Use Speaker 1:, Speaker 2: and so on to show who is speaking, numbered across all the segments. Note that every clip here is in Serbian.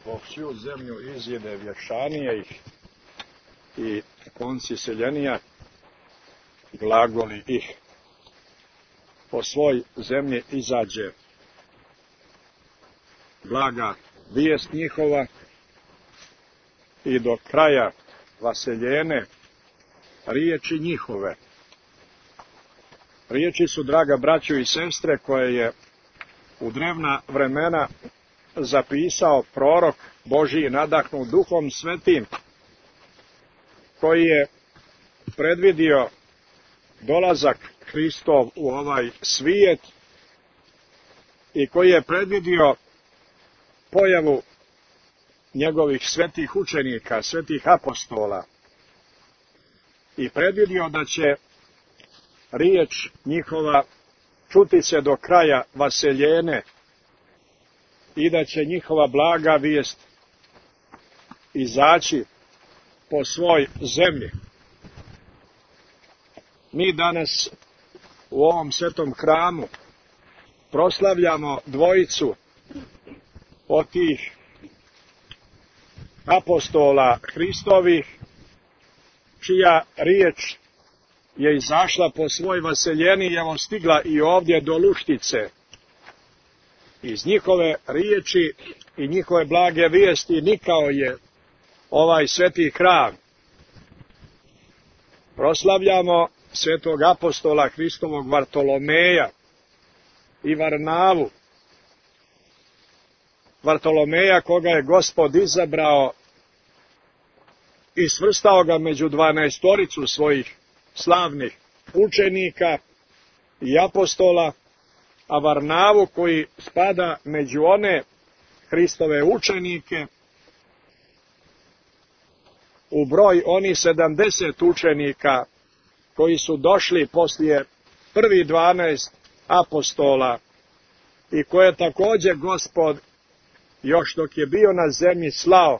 Speaker 1: po всю zemlju izjede vješanije ih i konci seljenija glagoli ih. Po svoj zemlji izađe blaga vijest njihova i do kraja vaseljene riječi njihove. Riječi su, draga braćo i sestre, koje je u drevna vremena zapisao prorok Božji nadahnut Duhom Svetim, koji je predvidio dolazak Hristov u ovaj svijet i koji je predvidio pojavu njegovih svetih učenika, svetih apostola i predvidio da će riječ njihova čuti se do kraja vaseljene i da će njihova blaga vijest izaći po svoj zemlji. Mi danas u ovom svetom hramu proslavljamo dvojicu od tih apostola Hristovih, čija riječ je izašla po svoj vaseljeni i evo stigla i ovdje do Luštice. Iz njihove riječi i njihove blage vijesti nikao je ovaj sveti hram. Proslavljamo svetog apostola Hristovog Vartolomeja i Varnavu. Vartolomeja, koga je Gospod izabrao i svrstao ga među 12 svojih slavnih učenika i apostola, a Varnavu, koji spada među one Hristove učenike, u broj oni 70 učenika koji su došli poslije prvi 12 apostola i koje također Gospod, još dok je bio na zemlji, slao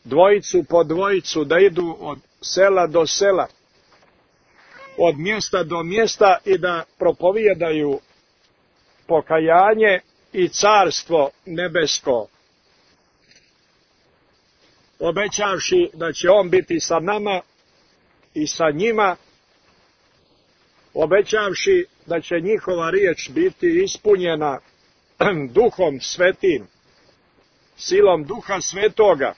Speaker 1: dvojicu po dvojicu da idu od sela do sela, od mjesta do mjesta i da propovijedaju pokajanje i carstvo nebesko, obećavši da će on biti sa nama i sa njima, obećavši da će njihova riječ biti ispunjena Duhom Svetim, silom Duha Svetoga,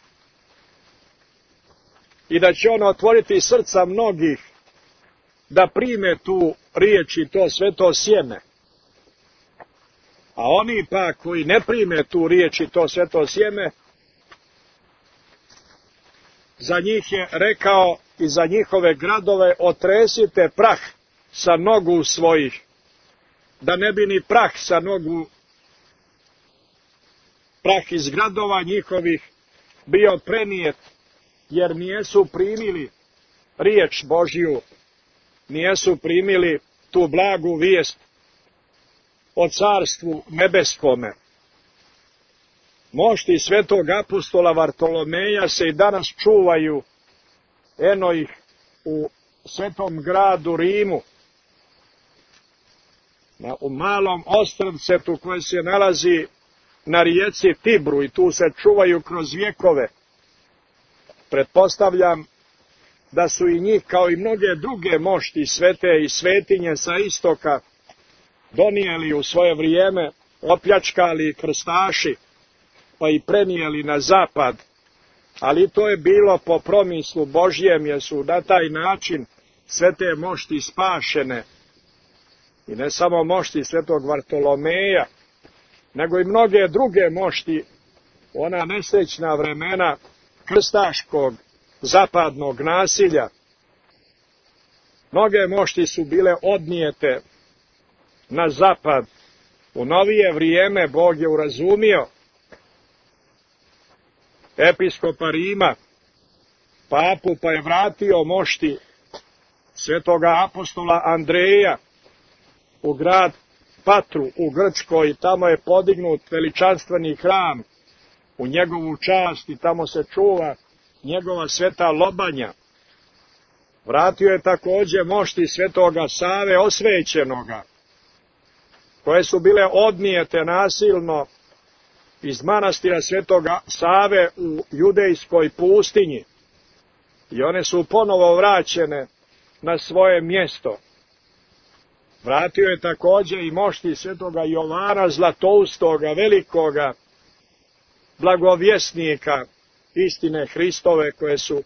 Speaker 1: i da će on otvoriti srca mnogih da prime tu riječ i to sveto sjeme. A oni pa koji ne prime tu riječ i to sveto sjeme, za njih je rekao i za njihove gradove otresite prah sa nogu svojih, da ne bi ni prah sa nogu, prah iz gradova njihovih bio prenijet, jer nijesu primili riječ Božju, nijesu primili tu blagu vijest o carstvu nebeskome. Mošti svetog apostola Vartolomeja se i danas čuvaju, eno ih u svetom gradu Rimu, u malom ostrvcetu koje se nalazi na rijeci Tibru, i tu se čuvaju kroz vjekove. Pretpostavljam da su i njih, kao i mnoge druge mošti svete i svetinje sa istoka, donijeli u svoje vrijeme, opljačkali krstaši, pa i prenijeli na zapad, ali to je bilo po promislu Božjem, jer su na taj način sve te mošti spašene. I ne samo mošti svetog Vartolomeja, nego i mnoge druge mošti, ona nesrećna vremena krstaškog zapadnog nasilja. Mnoge mošti su bile odnijete na zapad. U novije vrijeme Bog je urazumio episkopa Rima, papu, pa je vratio mošti svetoga apostola Andreja u grad Patru u Grčkoj, i tamo je podignut veličanstveni hram u njegovu čast i tamo se čuva njegova sveta lobanja. Vratio je također mošti svetoga Save osvećenoga, koje su bile odnijete nasilno iz manastira Svetoga Save u judejskoj pustinji i one su ponovo vraćene na svoje mjesto. Vratio je također i mošti Svetoga Jovana Zlatoustoga, velikoga blagovjesnika istine Hristove, koje su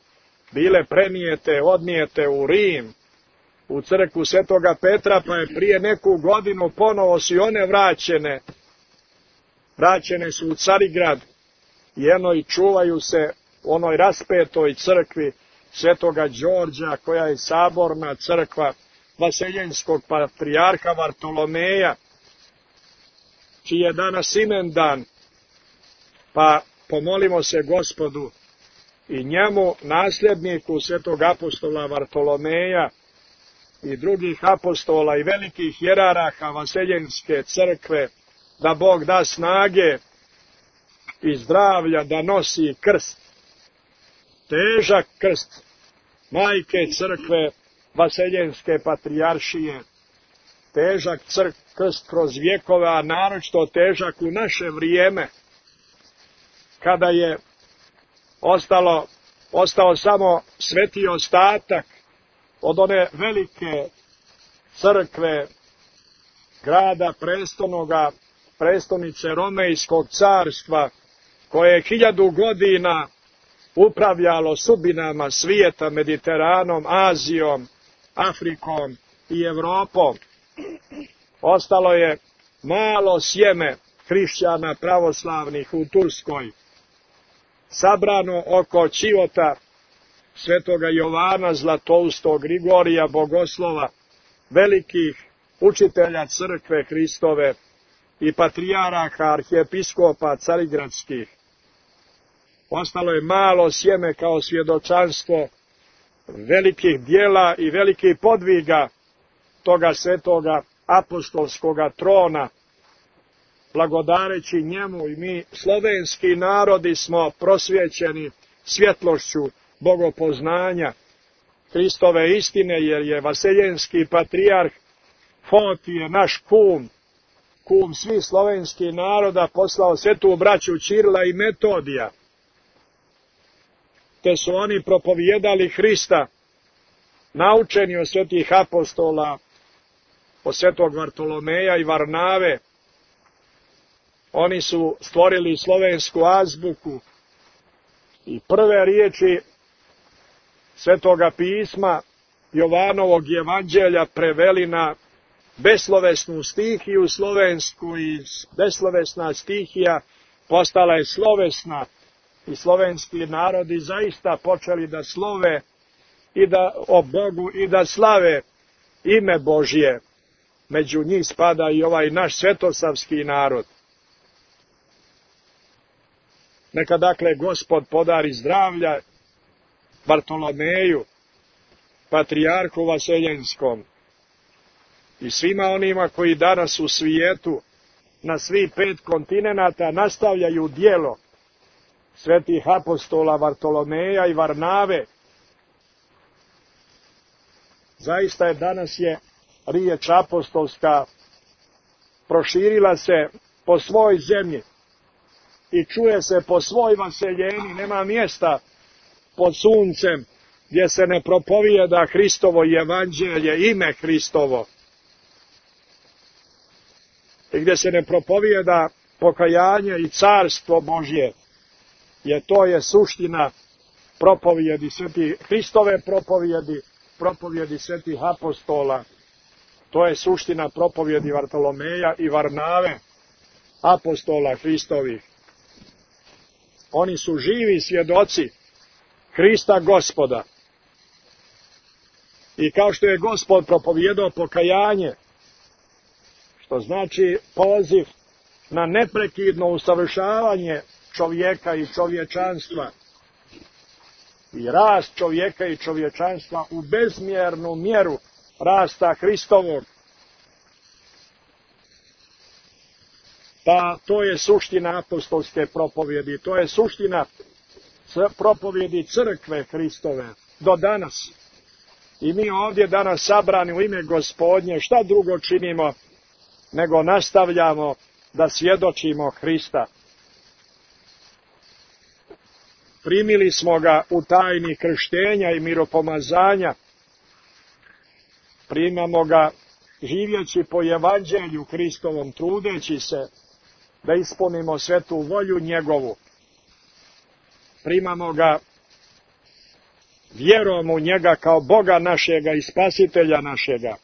Speaker 1: bile prenijete, odnijete u Rim, u crkvu Svetoga Petra, pa je prije neku godinu ponovo su i one vraćene. Vraćene su u Carigrad i eno i čuvaju se u onoj raspetoj crkvi Svetoga Đorđa, koja je saborna crkva Vaseljenskog patrijarha Vartolomeja, čiji je danas imendan, pa pomolimo se Gospodu i njemu, nasljedniku Svetog apostola Vartolomeja i drugih apostola i velikih jeraraha Vaseljenske crkve, da Bog da snage i zdravlja da nosi krst, težak krst majke crkve Vaseljenske patrijaršije, težak krst kroz vjekove, a naročito težak u naše vrijeme, kada je ostao samo sveti ostatak od one velike crkve grada prestolnoga, prestolnice Romejskog carstva, koje je 1000 godina upravljalo sudbinama svijeta, Mediteranom, Azijom, Afrikom i Evropom. Ostalo je malo sjeme hrišćana pravoslavnih u Turskoj, sabrano oko čivota Svetoga Jovana Zlatoustog, Grigorija Bogoslova, velikih učitelja crkve Hristove i patrijaraha, arhijepiskopa carigradskih. Ostalo je malo sjeme kao svjedočanstvo velikih dijela i velikih podviga toga svetoga apostolskoga trona. Blagodareći njemu i mi, slovenski narodi, smo prosvjećeni svjetlošću bogopoznanja Hristove istine, jer je vaseljenski patrijarh Fotije, naš kum svih slovenskih naroda, poslao svetu braću Ćirila i Metodija, te su oni propovijedali Hrista, naučeni od svetih apostola, od svetog Vartolomeja i Varnave. Oni su stvorili slovensku azbuku i prve riječi Svetoga pisma Jovanovog evanđelja preveli na beslovesnu stihiju slovensku, i beslovesna stihija postala je slovesna i slovenski narodi zaista počeli da slove i da o Bogu i da slave ime Božje. Među njih spada i ovaj naš svetosavski narod. Neka dakle Gospod podari zdravlja Bartolomeju, patrijarhu Vaseljenskom, i svima onima koji danas u svijetu na svih 5 kontinenata nastavljaju djelo svetih apostola Vartolomeja i Varnave. Zaista je danas riječ apostolska proširila se po svoj zemlji i čuje se po svoj vaseljeni. Nema mjesta pod suncem gdje se ne propovijeda Hristovo evanđelje, ime Hristovo, i gdje se ne propovijeda pokajanje i carstvo Božje, jer to je suština propovijedi svetih Hristove propovijedi svetih apostola. To je suština propovijedi Vartolomeja i Varnave, apostola Hristovih. Oni su živi svjedoci Hrista Gospoda. I kao što je Gospod propovijedao pokajanje, što znači poziv na neprekidno usavršavanje čovjeka i čovječanstva i rast čovjeka i čovječanstva u bezmjernu mjeru rasta Hristovog, pa to je suština apostolske propovjedi, to je suština propovjedi crkve Hristove do danas. I mi ovdje danas sabrani u ime Gospodnje, šta drugo činimo nego nastavljamo da svjedočimo Hrista. primili smo ga u tajni krštenja i miropomazanja, primamo ga živjeći po evanđelju Hristovom, trudeći se da ispunimo svetu volju njegovu. Primamo ga vjerom u njega kao Boga našega i Spasitelja našega,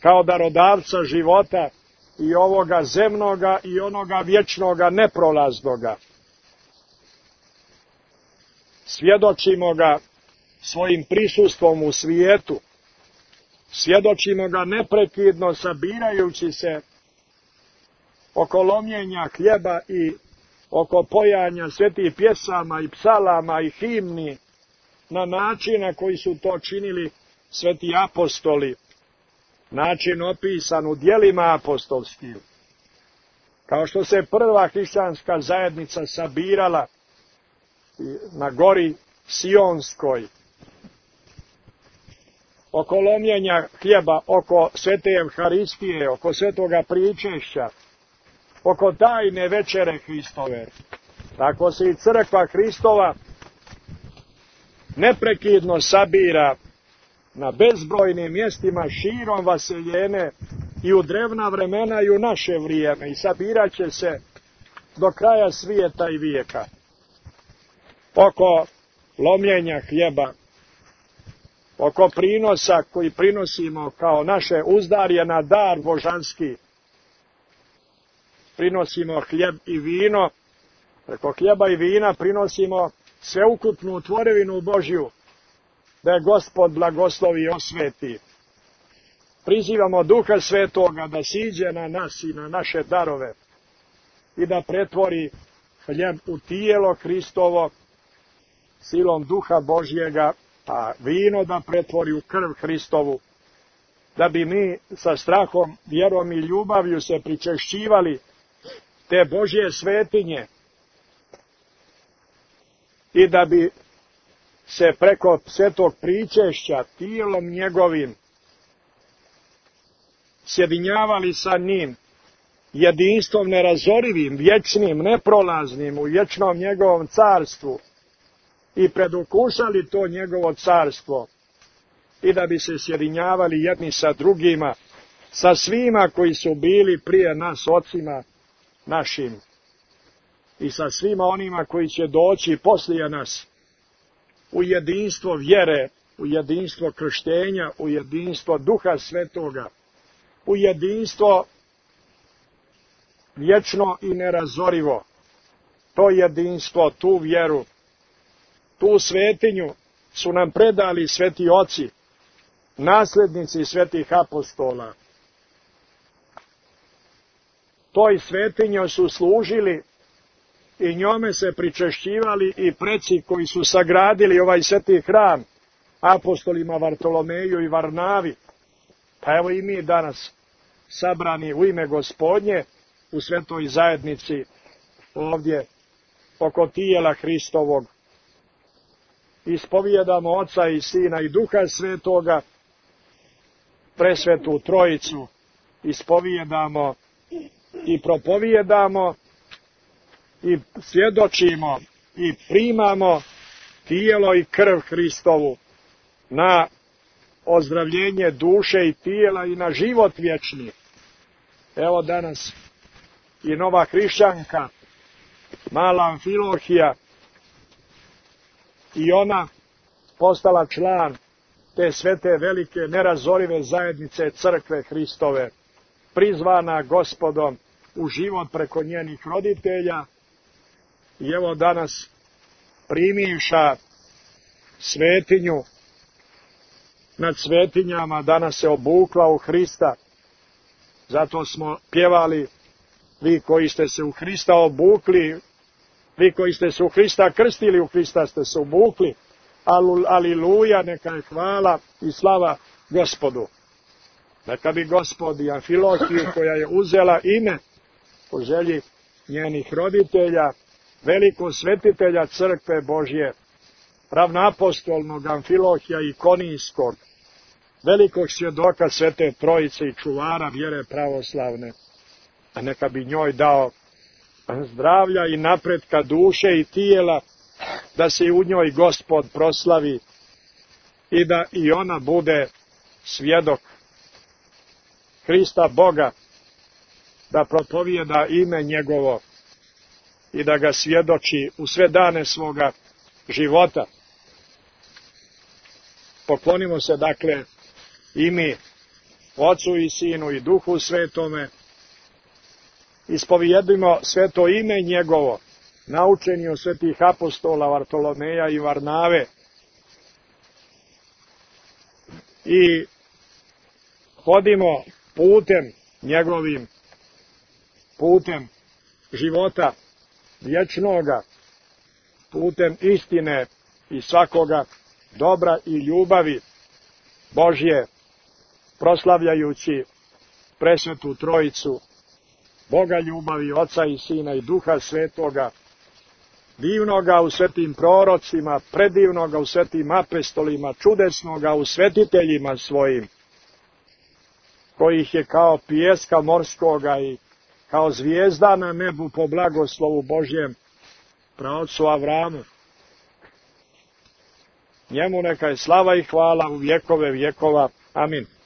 Speaker 1: kao darodavca života i ovoga zemnoga i onoga vječnoga neprolaznoga. Svjedočimo ga svojim prisustvom u svijetu, svjedočimo ga neprekidno sabirajući se oko lomljenja hljeba i oko pojanja svetih pjesama i psalama i himni na način na koji su to činili sveti apostoli, način opisan u djelima apostolskim. Kao što se prva hrišćanska zajednica sabirala na gori Sionskoj, oko lomljenja hljeba, oko svete Evharistije, oko svetoga pričešća, oko tajne večere Hristove. Tako se i crkva Hristova neprekidno sabira na bezbrojnim mjestima širom vaseljene i u drevna vremena i u naše vrijeme i sabirat će se do kraja svijeta i vijeka. Oko lomljenja hljeba, oko prinosa koji prinosimo kao naše uzdarje na dar božanski, prinosimo hljeb i vino, preko hljeba i vina prinosimo sveukupnu tvorevinu Božju, da je Gospod blagoslovi i osveti. Prizivamo Duha Svetoga da siđe na nas i na naše darove i da pretvori hljeb u tijelo Hristovo silom Duha Božjega, a vino da pretvori u krv Hristovu, da bi mi sa strahom, vjerom i ljubavlju se pričešćivali te Božje svetinje i da bi se preko svetog pričešća tijelom njegovim sjedinjavali sa njim jedinstvom nerazorivim, vječnim, neprolaznim u vječnom njegovom carstvu i predukušali to njegovo carstvo i da bi se sjedinjavali jedni sa drugima, sa svima koji su bili prije nas, ocima našim, i sa svima onima koji će doći poslije nas, u jedinstvo vjere, u jedinstvo krštenja, u jedinstvo Duha Svetoga, u jedinstvo vječno i nerazorivo. To jedinstvo, tu vjeru, tu svetinju su nam predali sveti oci, nasljednici svetih apostola. Toj svetinjoj su služili i njome se pričešćivali i preci koji su sagradili ovaj sveti hram, apostolima Vartolomeju i Varnavi. Pa evo i mi danas sabrani u ime Gospodnje u svetoj zajednici ovdje oko tijela Hristovog. Ispovijedamo Oca i Sina i Duha Svetoga, presvetu Trojicu, ispovijedamo i propovijedamo i svjedočimo i primamo tijelo i krv Hristovu na ozdravljenje duše i tijela i na život vječni. Evo danas i nova hrišćanka, mala Amfilohija, i ona postala član te svete velike nerazorive zajednice crkve Hristove, prizvana Gospodom u život preko njenih roditelja, i evo danas primivša svetinju nad svetinjama, danas se obukla u Hrista. Zato smo pjevali: vi koji ste se u Hrista obukli, vi koji ste se u Hrista krstili, u Hrista ste se obukli. Aliluja, neka je hvala i slava Gospodu. Neka bi Gospod i Amfilohiju, koja je uzela ime po želji njenih roditelja, velikog svetitelja crkve Božje, ravnoapostolnog Amfilohija i Konijskog, velikog svjedoka svete Trojice i čuvara vjere pravoslavne, a neka bi njoj dao zdravlja i napretka duše i tijela da se u njoj Gospod proslavi i da i ona bude svjedok Hrista Boga, da propovijeda ime njegovo i da ga svjedoči u sve dane svoga života. Poklonimo se dakle i mi Ocu i Sinu i Duhu Svetome, ispovijedimo sveto ime njegovo, naučeni od svetih apostola Vartolomeja i Varnave, i hodimo putem njegovim, putem života vječnoga, putem istine i svakoga dobra i ljubavi Božje, proslavljajući presvetu Trojicu, Boga ljubavi, Oca i Sina i Duha Svetoga, divnoga u svetim prorocima, predivnoga u svetim apostolima, čudesnoga u svetiteljima svojim, kojih je kao pijeska morskoga i kao zvijezda na nebu po blagoslovu Božjem praocu Avramu. Njemu neka je slava i hvala u vjekove vjekova. Amin.